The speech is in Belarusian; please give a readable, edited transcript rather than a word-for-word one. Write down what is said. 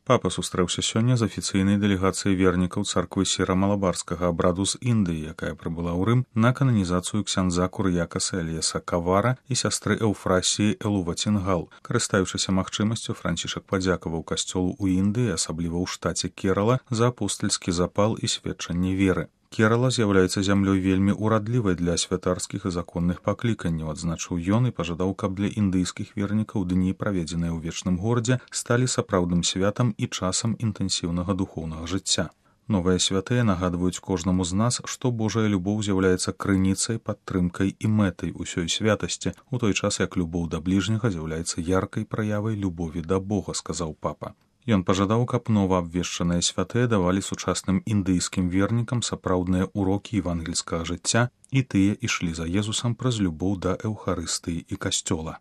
Папа сустрэўся сёння з афіцыйнай дэлегацыяй вернікаў царквы сіра-малабарскага абраду з Індыі, якая прыбыла ў Рым на кананізацыю ксяндза Кур'якаса Эліяса Кавара і сястры Эўфрасіі Элувацінгал. Карыстаючыся магчымасцю, Францішак падзякаваў касцёлу ў Індыі, асабліва ў штаце Керала, за апостальскі запал і сведчанне веры. Керала з'яўляецца зямлёй вельмі ўрадлівай для святарскіх і законных пакліканняў, адзначыў ён і пажадаў, каб для індыйскіх вернікаў дні, праведзеныя ў вечным горадзе, сталі сапраўдным святам і часам інтэнсіўнага духоўнага жыцця. Новыя святыя нагадваюць кожнаму з нас, што Божая любоў з'яўляецца крыніцай, падтрымкай і мэтай усёй святасці, у той час як любоў да бліжняга з'яўляецца яркай праявай любові да Бога, сказаў папа. Ён пажадаў, каб новаабвешчаныя святыя давалі сучасным індыйскім вернікам сапраўдныя ўрокі евангельскага жыцця, і тыя ішлі за Езусам праз любоў да Эўхарыстыі і касцёла.